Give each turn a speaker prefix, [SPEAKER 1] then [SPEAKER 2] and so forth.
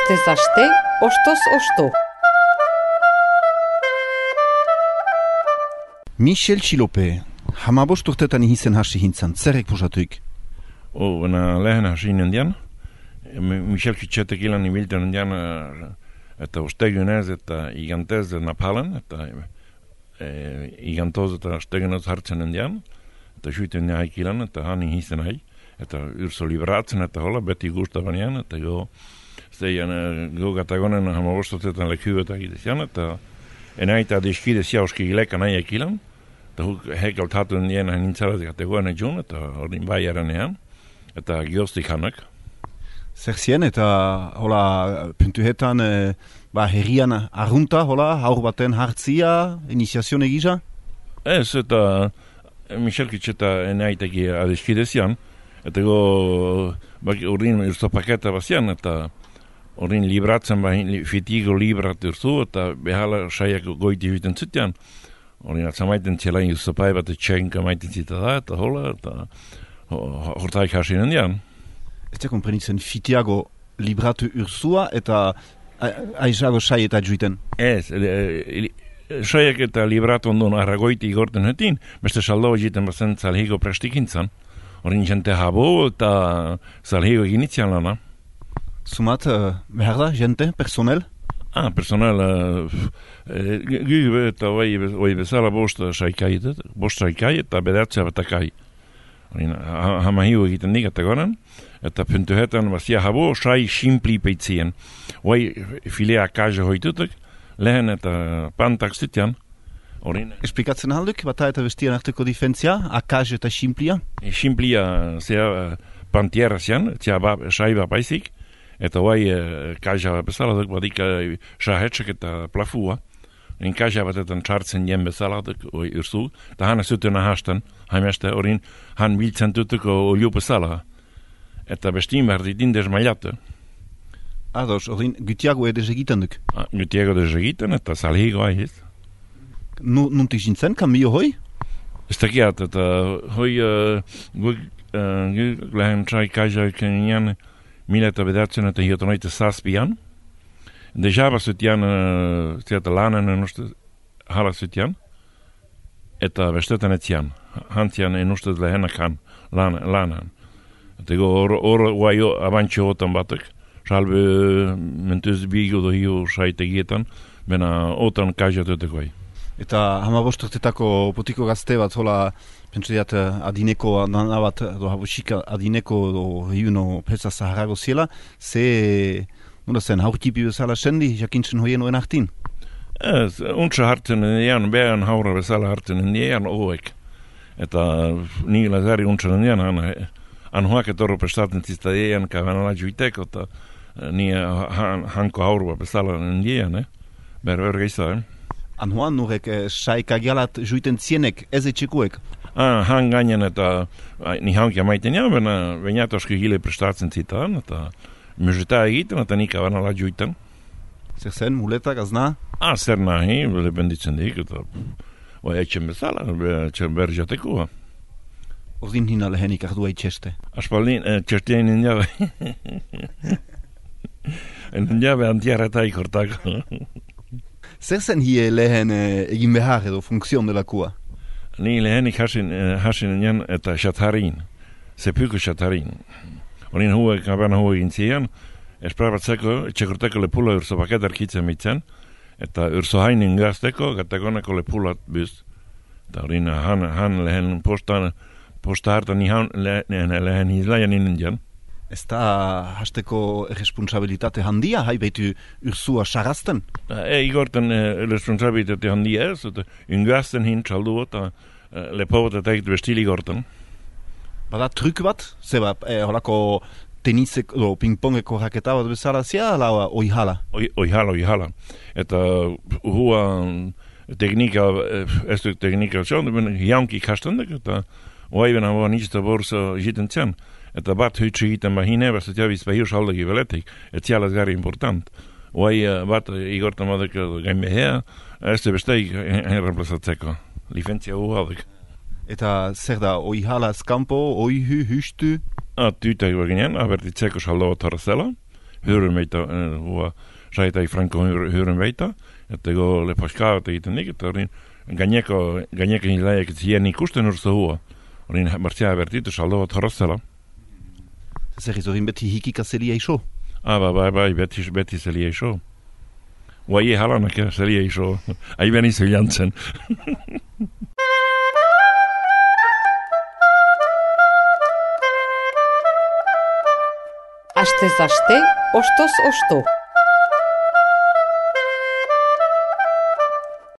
[SPEAKER 1] Astez aste, ostoz osto.
[SPEAKER 2] Michel Txilope, hamabost urtetan ihizen hasi hintzan, zerrek pusatuik?
[SPEAKER 3] Lehen hasi indian, Michel Txilotek ilan ibilten indian, eta ostegunez eta igantez napalen, eta igantoz eta ostegunez hartzen indian, eta suiten haik ilan, eta han ihizen hai, eta urso libratzen eta hola, beti gustabanean, eta go gatagonen hamabost urtetan lekuetak idezian, eta enaita deskide siauski ileka nahiak ilan, eta hekalt hatu indien nintzaratik ategoen edun, eta hori baiaren ean, eta gioztik hanak.
[SPEAKER 2] Zer zien, eta hola, puntuetan, herrian arrunta, hola, haur baten hartzia, iniziazio egisa?
[SPEAKER 3] Ez, eta Michelkitz eta enaiteki adeskidezian, eta horrin urzopaketa bazian, eta horrin libratzen fitigo librat urzu, eta behala saiak goiti hüten zutian. Horrin atzamaiten zelain urzopai bat etxenka maiten zita da, eta hola, eta hortaik hasien endian.
[SPEAKER 2] Ez da komprenitzen fitiago libratu urzua, eta aizago sai eta juiten?
[SPEAKER 3] Ez, saiak eta libratu ondon arragoiti igorten hetin, beste saldo egiten bazen zalhigo prestikintzan. Horrin jente habo eta zalhigo eginitzian lana.
[SPEAKER 2] Sumat, behar da, jente, personel?
[SPEAKER 3] Personel, gyve eta oi bezala bost saikai eta bedatzea batakai. Hamahio egiten digate goran, eta puntuhetan bazia habo sai simpli peitzien. Oi filea kaja hoitutuk, lehen eta pantak zutian.
[SPEAKER 2] Esplikatzen alduk, bata eta bestian arteko difentzia, akaj eta simplia?
[SPEAKER 3] Simplia, zea pantiera zian, zea saiba baizik, eta oi kaja bezala duk badik sahetxek eta plafua. Kaja batetan txartzen jen bezala duk urzu, eta hana zuten ahastan, haimeste horin han biltzen tutuk olio bezala. Eta bestin behar ditin desmailatu.
[SPEAKER 2] Ados, horin gutiago edez egiten duk?
[SPEAKER 3] Gutiago edez egiten, eta salhigo aiz.
[SPEAKER 2] Nuntik zintzen, kambio hoi?
[SPEAKER 3] Ez dakiat, eta hoi lehen txai kaja ekenian 1900 eta hiotonoite zazpian. Deja bazutian ziata lanen enustez hala zutian, eta bestetan etzian. Hantzian enustez lehenak lanen. Eta hor guaio abantxo otan batek, salbe mentuz bigo dohio saitegietan, bena otan kajatutek guai.
[SPEAKER 2] Eta hamabosturtetako potiko gazte bat, hola, pentsediat adineko, bat, habosika adineko, hiuno peza zaharago ziela, ze, nola zen, haurtipi bezala sendi, jakintzen hoien oen hartin?
[SPEAKER 3] Ez, untsa hartzen indian, behan haura bezala hartzen indian oek. Eta ni lazari untsa indian, hoak etorro prestaten zizta eian, kavanala juiteko, eta ni hanko haurua bezala indian, berber geizta,
[SPEAKER 2] Anhoan nurek saikagialat juiten zienek, ez etxekuek?
[SPEAKER 3] Han gainen eta ni hankia maiten ja, bainatoski hile prestatzen zitan, eta muzeta egiten, eta nik abanala juiten.
[SPEAKER 2] Zer zen, muleta, gazna?
[SPEAKER 3] Zer nahi, lebenditzen dik, eta etxen bezala, etxen berjatekua.
[SPEAKER 2] Ordin hina lehenik ardua itxeste?
[SPEAKER 3] Aspaldin, txestien indiabe. Indiabe antiarretaik hortako.
[SPEAKER 2] Zer zen hie lehen egin behar edo funkzion delakua?
[SPEAKER 3] Ni lehenik hasin nian eta xatarin, sepyko xatarin. Horin huek abana egin zian, esprabatzeko, etxekorteko lepula urso paketar kitzen mitzen, eta urso hainin gazteko, gatagoneko lepulat biz. Eta horin han lehen posta hartan lehen izlaian indian.
[SPEAKER 2] Ez da hasteko responsabilitate handia, hai behitu ursua sarazten?
[SPEAKER 3] Igorten responsabilitate handia ez, eta ungazten hin txaldu eta lepobot eta egit bestili igorten.
[SPEAKER 2] Bada truk bat? Zeba, holako tenisek, pingpongeko raketa bat bezala zia, ala oihala?
[SPEAKER 3] Oihala. Eta hua teknika, ez du teknika zion, jaunki ikastendek, eta oaiben hau nizta borsa jiten zian. Eta bat hütsi egiten bahine, basat javiz bahir saldagi veletik, et zialaz gari important. Oai bat igortan badek gain behea, ez da besteik reemplazatzeko. Licentzia uhaldik.
[SPEAKER 2] Eta zer da, oihala eskampo, oihu, hustu?
[SPEAKER 3] Tüitek beginean, abertitzeko saldo bat horrezela, hyödyn meitä, saita Franco hyödyn meitä, että kun le paskaat egiten negatorin, ganjekin läjäkin sieni kustenursta huo, olin martia vertito saldo trossala.
[SPEAKER 2] Se risorin beti hikika seli ei show.
[SPEAKER 3] Vai, beti seli ei show. Vai halana ke seli ei show. Ai veni Jansen.
[SPEAKER 1] Astez aste, ostos osto.